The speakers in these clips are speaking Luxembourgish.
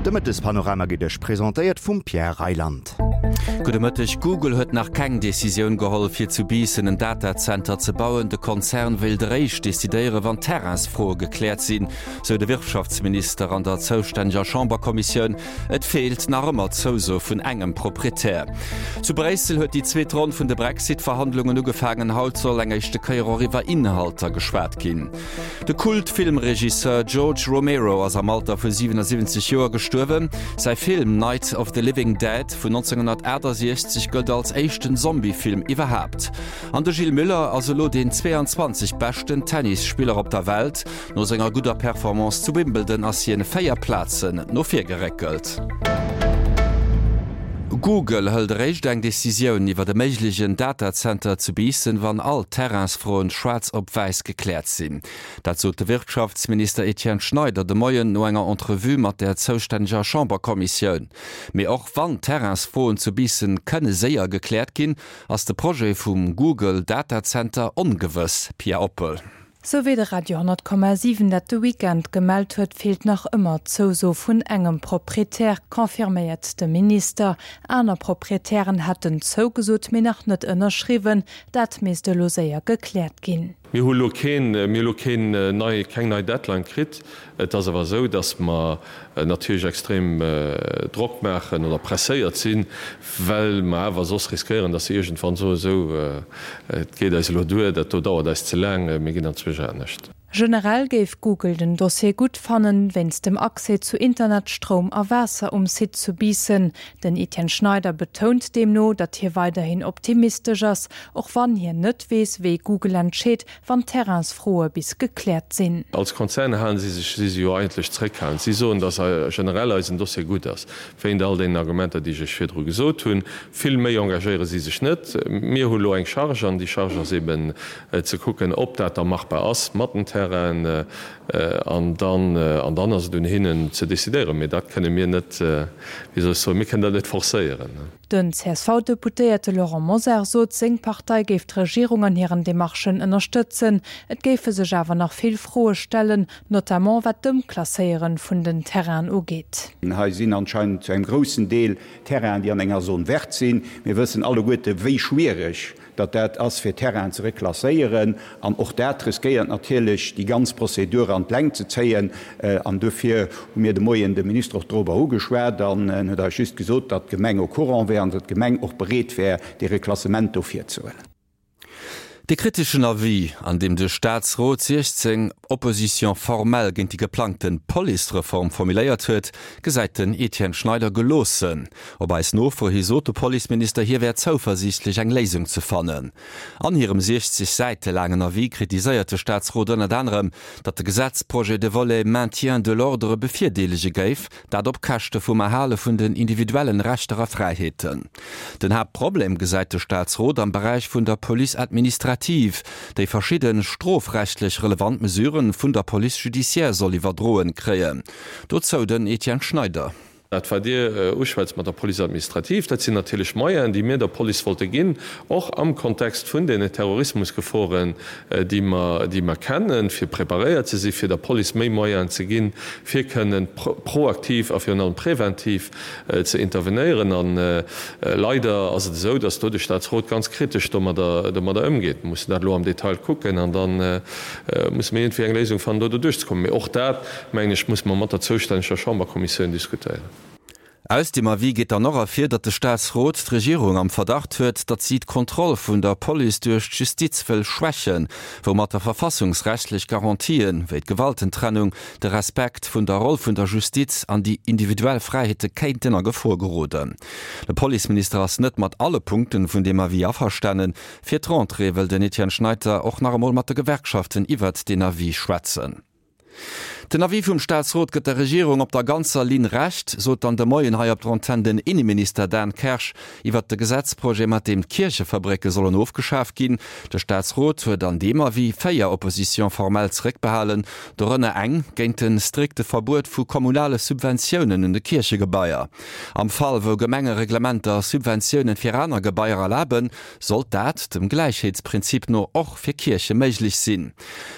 De Mëttespanorama gëtt Iech presentéiert vum Pierre Reyland. Gudde Mëtteg. Google huet nach keng Decisioun geholl, fir zu Biissen en Datazenter ze bauen. De Konzern wéilt eréischt decidéieren, wann d'Terrainsfroe gekläert sinn, sou de Wirtschaftsminister an der zoustänneger Chamberkommissioun. Et feelt nach ëmmer d'Zouso vun engem Proprietär. Zu Bréissel huet déi zweet Ronn vun de Brexit-Verhandlungen ugefaangen. Haut soll eng éischte Kéier och iwwer Inhalter geschwat ginn. De Kult-Filmregisseur George Romero ass am Alter vu 77 Joer gestuerwen. Säi Film Night of the Living Dead vun 1968 gëllt als éischten Zombie-Film iwwerhaapt. An de Gilles Müller ass elo deen 22 beschten Tennisspiller op der Welt. No senger gudder Performance zu Wimbledon ass hien 4 Plazen no vir geréckelt. Google hëlt eréischt eng Decisioun iwwert e méiglegen Datazenter zu Biissen, wann all d'Terrainsfroen schwaarz op wäiss gekläert sinn. Dat sot de Wirtschaftsminister Etienne Schneider de Moien no enger Entrevue mat der zoustänneger Chamberkommissioun. Mee och wann d'Terrainsfroen zu Biissen kënne séier gekläert ginn, ass de Projet vum Google Datazenter ongewëss. Pia Oppel. Sou wéi de Radio 10,7 dat de Weekend gemellt huet, feelt nach ëmmer d'Zouso vun engem Proprietär, confirméiert de Minister. Aner Proprietären hätten zougesot, mee nach net ënnerschriwwen. Dat misst elo séier gekläert ginn. Mir hu elo keen, mir hu elo keen nei, keng nei Deadline kritt. Et ass awer esou, datt mer natierlech extrem Drock maachen oder presséiert sinn, well mer awer soss riskéieren, datt se iergendwann soen, esou, et geet eis elo duer, dat do dauert eis ze laang, mir ginn anzwousch anescht. Generell géif Google den Dossier gutt fannen, wéinst dem Accès zu Internet, Stroum a Waasser um Site zu Biissen. Den Etienne Schneider betount deemno, datt hie weiderhin optimistesch ass, och wann hien net weess, wéi Google entscheet, wann d'Terrainsfroe bis gekläert sinn. Als Konzern halen si sech, si si jo eigentlech zréckhalend. Si soen, datt generell eisen Dossier gutt ass, wéint all deenen Argumenter, déi ech Iech virdru gesot hunn. Vill méi engagéiere si sech net. Mir hu lo eng Charge, an déi Charge ass eben ze kucken, ob dat da machbar ass mat den Terrainen. An dann, an dann ass et un hinnen ze decidéieren. Mee dat kënne mir net, wéi soll ech soen, mir kënnen dat net forcéieren. Den CSV-Deputéierte Laurent Mosar sot, seng Partei géif d'Regierung an hiren Demarchen ënnerstëtzen. Et géife sech awer nach vill Froe stellen, notamment wat d'Ëmklasséiere vun den Terrainen ugeet. Hei sinn anscheinend zu engem groussen Deel Terrainen, déi an enger Zone verte sinn. Mir wëssen alleguerte wéi schwiereg datt dat ass fir Terrainen ze reklasséieren, an och dat riskéiert natierlech déi ganz Prozedur an d'Längt ze zéien. An dofir hu mir de Moien de Minister och dorobber ugeschwat an en huet eis just gesot, datt d'Gemeng au courant wär an datt d'Gemeng och bereet wär, dee Reklassement do virzehuelen. De kriteschen Avis, an deem de Staatsrot 16 Oppositions formelles géint déi geplangte Policereform formuléiert huet, gesäit den Etienne Schneider geloossen. Op eis Nofro hi sot de Policeminister, hie wär zouversiichtlech eng Léisung ze fannen. An hirem 60 Säite laangen Avis kritiséiert de Staatsrot ënnert anerem, datt de Gesetzprojet de Volet Maintien de l'ordre bevirdeelege géif, dat op Käschte vum Erhale vun den individuellen Rechter a Fräiheeten. Den Haaptproblem gesäit de Staatsrot am Beräich vun der Police administrative, déi verschidde strofrechtlech relevant Mesuren vun der Police judiciaire soll iwwerdroen kréien. Dozou den Etienne Schneider. Dat, wat Dir uschwätzt mat der Police administrative, dat sinn natierlech Moyenen, déi mir der Police wollte ginn, och am Kontext vun deene Terrorismusgeforen, déi mer, déi mer kennen, fir preparéiert ze sinn, fir der Police méi Moyenen ze ginn, fir kënnen proaktiv a virun allem präventiv ze intervenéieren. A leider ass et esou, dass do de Statsrot ganz kritesch domadder, domadder ëmgeet. Mir mussen dat elo am Detail kucken an da musse mir iergendwéi eng Léisung fannen, do doduerchzekommen. Mee och dat, mengen ech, musse mer mat der zoustänneger Chamberkommissioun diskutéieren. Aus deem Avis geet dann och ervir, datt de Staatsrot d'Regierung am Verdacht huet, datt si d'Kontroll vun der Police duerch d'Justiz wëll schwächen, woumatter verfassungsrechtlech Garantien, wéi d'Gewaltentrennung, de Respekt vun der Roll vun der Justiz an déi individuell Fräiheete kéinten a Gefor geroden. De Policeminister ass net mat alle Punkten vun deem Avis averstanen. Fir d'Rentrée wëll den Etienne Schneiter och nach emol mat de Gewerkschaften iwwert deen Avis schwätzen. Den Avis vum Staatsrot gëtt der Regierung op der ganzer Linn Recht, sot dann de Moien hei op der Antenn den Inneminister Dan Kersch iwwert de Gesetzprojet, mat deem d'Kierchefabrécke sollen ofgeschaf ginn. De Staatsrot huet an deem Avis 4 Oppositions formelles zeréckbehalen, dorënner eng géint de strikte Verbuet vu kommunale Subventiounen un de Kierchegebaier. Am Fall wou Gemengereglementer Subventiounen fir aner Gebaier erlaben, sollt dat dem Gläichheetsprinzip no och fir Kierche méiglech sinn.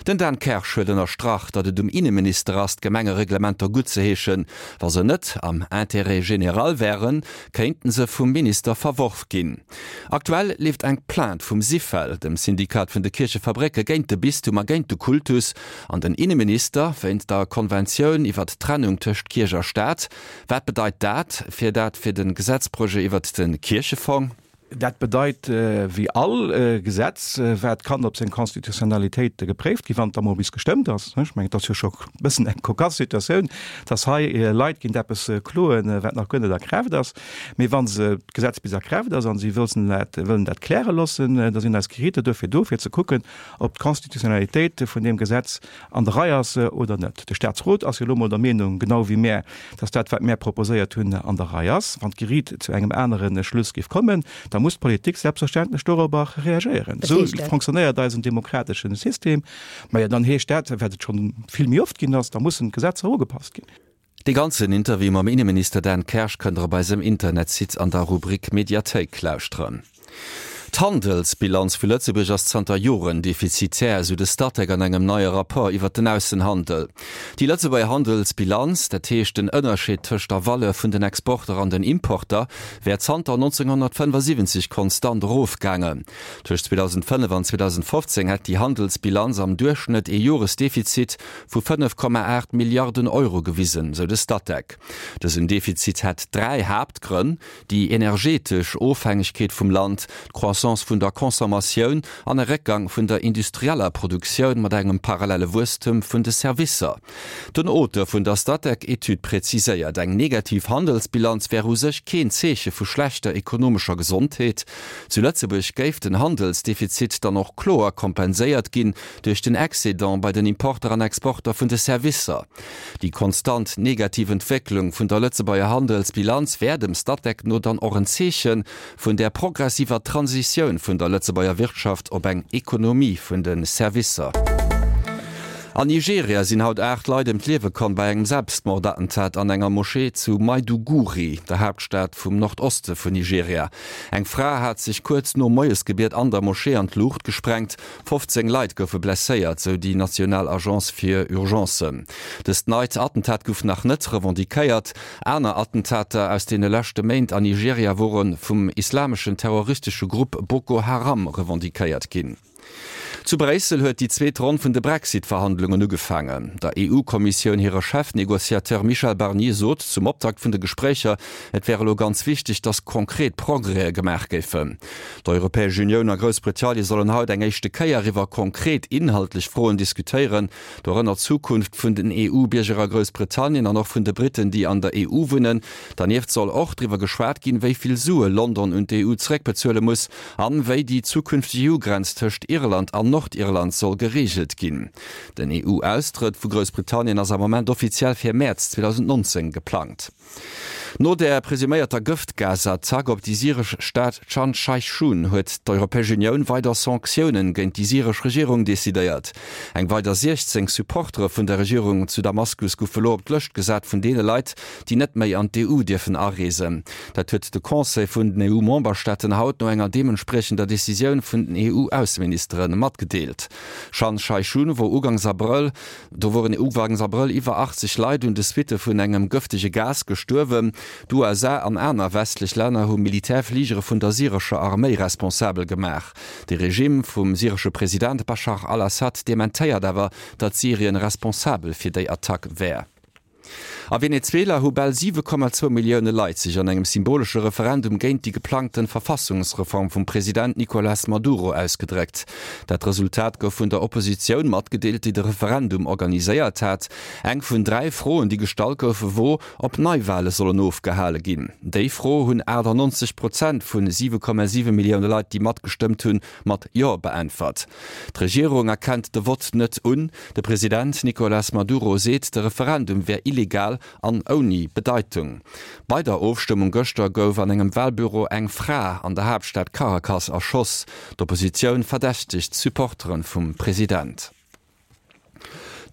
Den Dan Kersch huet ënnerstrach, datt et um Inneminister. Inneminister ass, d'Gemengereglementer guttzeheeschen. Wa se net am Intérêt général wären, kéinten se vum Minister verworf ginn. Aktuell leeft eng Plainte vum Syfel, dem Syndikat vun de Kierchefabrécke, géint de Bistum a géint de Kultus an den Inneminister wéinst der Konventioun iwwert d'Trennung tëscht Kierch a Staat. Wat bedeit dat fir dat fir de Gesetzprojet iwwert de Kierchefong? Dat bedeit, wéi all Gesetz, wat kann op seng Constitutionnalitéit gepréift ginn, wann et da mol bis gestëmmt ass. Ech mengen, et ass jo scho e bëssen eng cocasse Situatioun, dass hei Leit géint eppes kloen, wat nach guer net a Kraaft ass. Mee wa se d'Gesetz bis a Kraaft ass a si wëllen dat, wëllen dat kläre loossen, da sinn eis Geriiter duerfir do, fir ze kucken, ob d'Constitutionnalitéit vun deem Gesetz an der Rei ass oder net. De Statsrot ass jo elo mol der Meenung, genau wéi mär, dass dat, wat mär proposéiert hunn, an der Rei ass. Wann d'Geriit zu engem anere Schluss géif kommen, da muss d'Politik selbstverständlech dorobber reagéieren. Esou fonctionnéiert eisen demokratesche System. Majo, dann heescht dat, wat et scho vill méi oft ginn ass, da mussen d'Gesetzer ugepasst ginn. Dee ganzen Interview mam Inneminister Dan Kersch kënnt der op eisem Internetsite an der Rubrik Mediathéik lauschteren. D'Handelsbilanz vu Lëtzebuerg ass zanter Joren defizitär, esou de Statec an engem neie Rapport iwwer den Aussenhandel. Déi Lëtzebuerger Handelsbilanz, dat heescht den Ënnerscheed tëscht der Valeur vun den Exporter an den Importer, wär zanter 1975 konstant erofgaangen. Tëscht 2005 an 2015 hätt déi Handelsbilanz am Duerchschnëtt ee Joresdefizit vu 5,8 Milliarden Euro gewisen, sou de Statec. Dësen Defizit hätt 3 Haaptgrënn, déi energetesch Ofhängegkeet vum Land, d'Croissance vun der Consommatioun an e Réckgang vun der industrieller Produktioun mat engem parallele Wuesstem vun de Servicer. Den Auteur vun der Statec-Etüd präziséiert, eng negativ Handelsbilanz wär u sech keen Zeeche vu schlechter ekonomescher Gesondheet. Zu Lëtzebuerg géif den Handelsdefizit dann och kloer kompenséiert ginn duerch den Excédent bei den Importer an Exporter vun de Servicer. Déi konstant negativ Entwécklung vun der Lëtzebuerger Handelsbilanz wär dem Statec no dann och en Zeeche vun der progressiver Transitioun vun der Lëtzebuerger Wirtschaft op eng Ekonomie vun de Servicer. An Nigeria sinn haut 8 Leit ëm d'Liewe komm bei engem Selbstmordattentat an enger Moschee zu Maiduguri, der Haaptstad vum Nordoste vun Nigeria. Eng Fra hat sech kuerz nom Moiesgebiet an der Moschee an d'Luucht gesprengt. 15 Leit goufe blesséiert, sou déi national Agence fir Urgencen. Dëst neit Attentat gouf nach net revendiquéiert. Aner Attentater aus deene leschte Méint an Nigeria wore vum islameschen terroristesche Grupp Boko Haram revendiquéiert ginn. Zu Bréissel huet déi zweet Ronn vun de Brexit-Verhandlungen ugefaangen. Der EU-Kommissioun hire Chefnegociateur Michel Barnier sot zum Optakt vun de Gespréicher, et wär elo ganz wichteg, datt konkret Progrèse gemaach géifen. D'Europäesch Unioun a Groussbritannien sollen haut eng éischte Kéier iwwer konkret inhaltlech Froen diskutéieren, dorënner d'Zukunft vun den EU-Bierger a Groussbritannien an och vun de Britten, déi an der EU wunnen. Dernieft soll och driwwer geschwat ginn, wéi vill Sue London un d'EU zeréckbezuele muss an wéi déi zukünfteg EU-Grenz tëscht Irland an Nordirland soll gereegelt ginn. Den EU-Austrëtt vu Groussbritannien ass am Moment offiziell fir Mäerz 2019 geplangt. No der presuméierter Gëftgasattack op déi syresch Stad Chan Shaykhun huet d'Europäesch Unioun weider Sanktiounen géint déi syresch Regierung decidéiert. Eng weider 16 Supportere vun der Regierung zu Damaskus goufe lo op d'Lëscht gesat vun deene Leit, déi net méi an d'EU dierfen areesen. Dat huet de Conseil vun den EU-Memberstaaten haut no enger deementspriechender Decisioun vun den EU-Ausseministere matgedeelt. Chan Shaykhun wor ugangs Abrëll Do woren ugangs Abrëll iwwer 80 Leit un de Suitte vun engem gëftege Gas gestuerwen. D'USA an aner westlech Länner hu Militärfligere vun der syrescher Arméi responsabel gemaach. De Regime vum syresche President Baschar al-Assad dementéiert awer, datt Syrien responsabel fir déi Attack wär. A Venezuela hu bal 7,2 Millioune Leit sech an engem symbolesche Referendum géint déi geplangte Verfassungsreform vum President Nicolas Maduro ausgedréckt. Dat Resultat gouf vun der Oppositioun matgedeelt, déi de Referendum organiséiert hat. Eng vun 3 Froen, déi gestallt goufe wor, ob Neiwale sollen ofgehale ginn. Déi Fro hunn 98 Prozent vun 7,7 Millioune Leit, déi matgestëmmt hunn, mat Jo beäntwert. D'Regierung erkennt de Vott net un. De President Nicolas Maduro seet, de Referendum wär illegal an ouni Bedeitung. Bei der Ofstëmmung gëschter gouf an engem Walbüro eng Fra an der Haaptstad Caracas erschoss. D'Oppositioun verdächtegt d'Supportere vum President.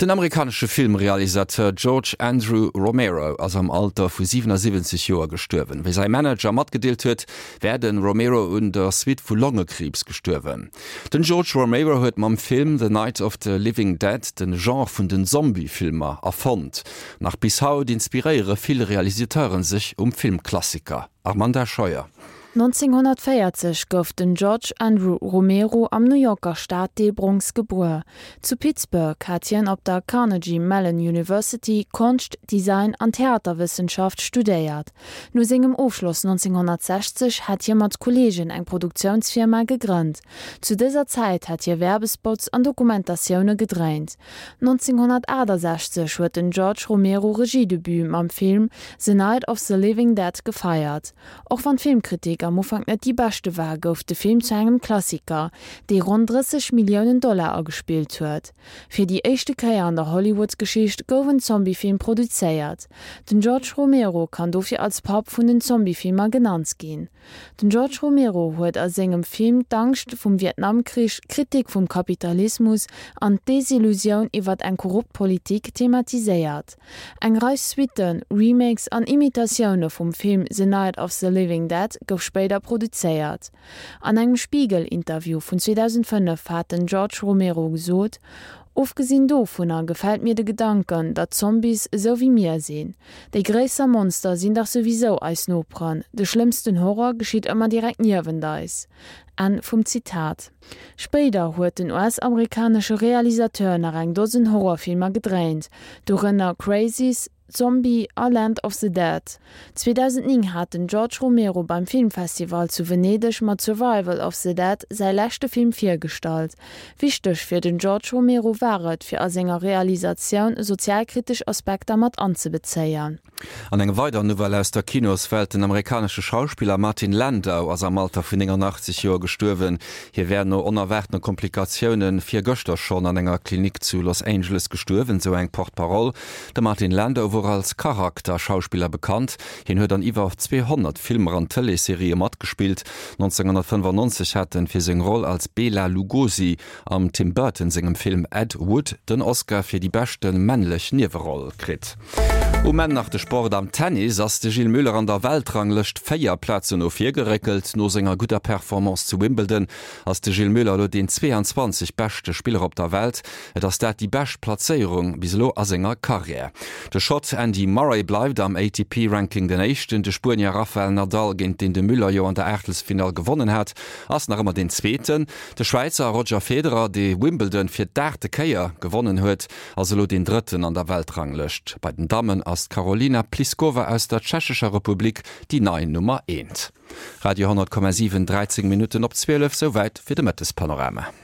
Den amerikanesche Filmrealisateur George Andrew Romero ass am Alter vu 77 Joer gestuerwen. Wéi säi Manager matgedeelt huet, wär de Romero un der Suite vu Longekriibs gestuerwen. Den George Romero huet mam Film The Night of the Living Dead den Genre vun den Zombie-Filmer erfonnt. Nach bis haut inspiréiere vill Realisateuren sech um Filmklassiker. Armanda Scheuer. 1940 gouf den George Andrew Romero am New Yorker Staddeel Bronx gebuer. Zu Pittsburgh hat hien op der Carnegie Mellon University Konscht, Design an Theaterwëssenschaft studéiert. No sengem Ofschloss 1960 hat hie mat Kolleegen eng Produktiounsfirma gegrënnt. Zu dëser Zäit hat hie Werbespots an Dokumentatioune gedréint. 1968 huet den George Romero Regiedebut mam Film The Night of the Living Dead gefeiert. Och wann d'Filmkritik am Ufank net déi beschte war, gouf de Film zu engem Klassiker, dee ronn 30 Milliounen Dollar agespillt huet. Fir déi éischte Kéier an der Hollywood-Geschicht gouf en Zombiefilm produzéiert. Den George Romero kann dofir als Papp vun den Zombiefilmer genannt ginn. Den George Romero huet a sengem Film d'Angscht vum Vietnamkrich, d'Kritik vum Kapitalismus an d'Desillusioun iwwert eng korrupt Politik thematiséiert. Eng Rei Suitten, Remakes an Imitatioune vum Film The Night of the Living Dead gouf spéider produzéiert. An engem Spiegel-Interview vun 2005 hat den George Romero gesot, Ofgesinn dovunner gefält mir de Gedanken, datt Zombies esou wéi mir sinn. Déi gréisser Monster sinn dach souwisou eis Noperen, de schlëmmsten Horror geschitt ëmmer direkt niewent eis. Enn vum Zitat. Spéider huet den US-amerikanesche Realisateur nach eng Dosen Horrorfilmer gedréint, dorënner Crazies, Zombie a Land of the Dead. 2009 hat den George Romero beim Filmfestival zu Venedeg mat Survival of the Dead säi leschte Film virgestallt. Wichteg fir den George Romero war et, fir a senger Realisatioun sozialkritesch Aspekter mat anzebezéien. An eng weider Nouvelle aus der Kinoswelt, Den amerikanesche Schauspiller Martin Landau ass am Alter vun 89 Joer gestuerwen. Hie wär no onerwaartene Komplikatioune virgëschter schonn an enger Klinik zu Los Angeles gestuerwen, sou eng Porte-parole. De Martin Landau wor als Charakterschauspiller bekannt. Hien huet an iwwer 200 Filmer an Tëleesserië matgespillt. 1995 hat en fir seng Roll als Bela Lugosi am Tim Burton sengem Film Ed Wood den Oscar fir déi beschte männlech Nieweroll kritt. Um Enn nach de Sport, Am Tennis ass de Gilles Muller an der Weltranglëscht 4 Plazen no vir geréckelt. No senger gudder Performance zu Wimbledon ass de Gilles Muller elo deen 22 beschte Spiller op der Welt. Et ass dat déi bescht Plazéierung bis elo a senger Karriär. De Schott Andy Murray bleift am ATP-Ranking den Éischten. De Spuenier Rafael Nadal, géint deen de Müller jo an der Aachtelsfinall gewonnen hat, ass nach ëmmer deen Zweeten. De Schwäizer Roger Federer, dee Wimbledon fir d'aachte Kéier gewonnen huet, ass elo deen Drëtten an der Weltranglëscht. Bei den Dammen ass d'Karolina Pliskova aus der Tschechescher Republik déi nei Nummer Eent. Radio 10,7, 13 Minutten op 12, souwäit fir de Mëttespanorama.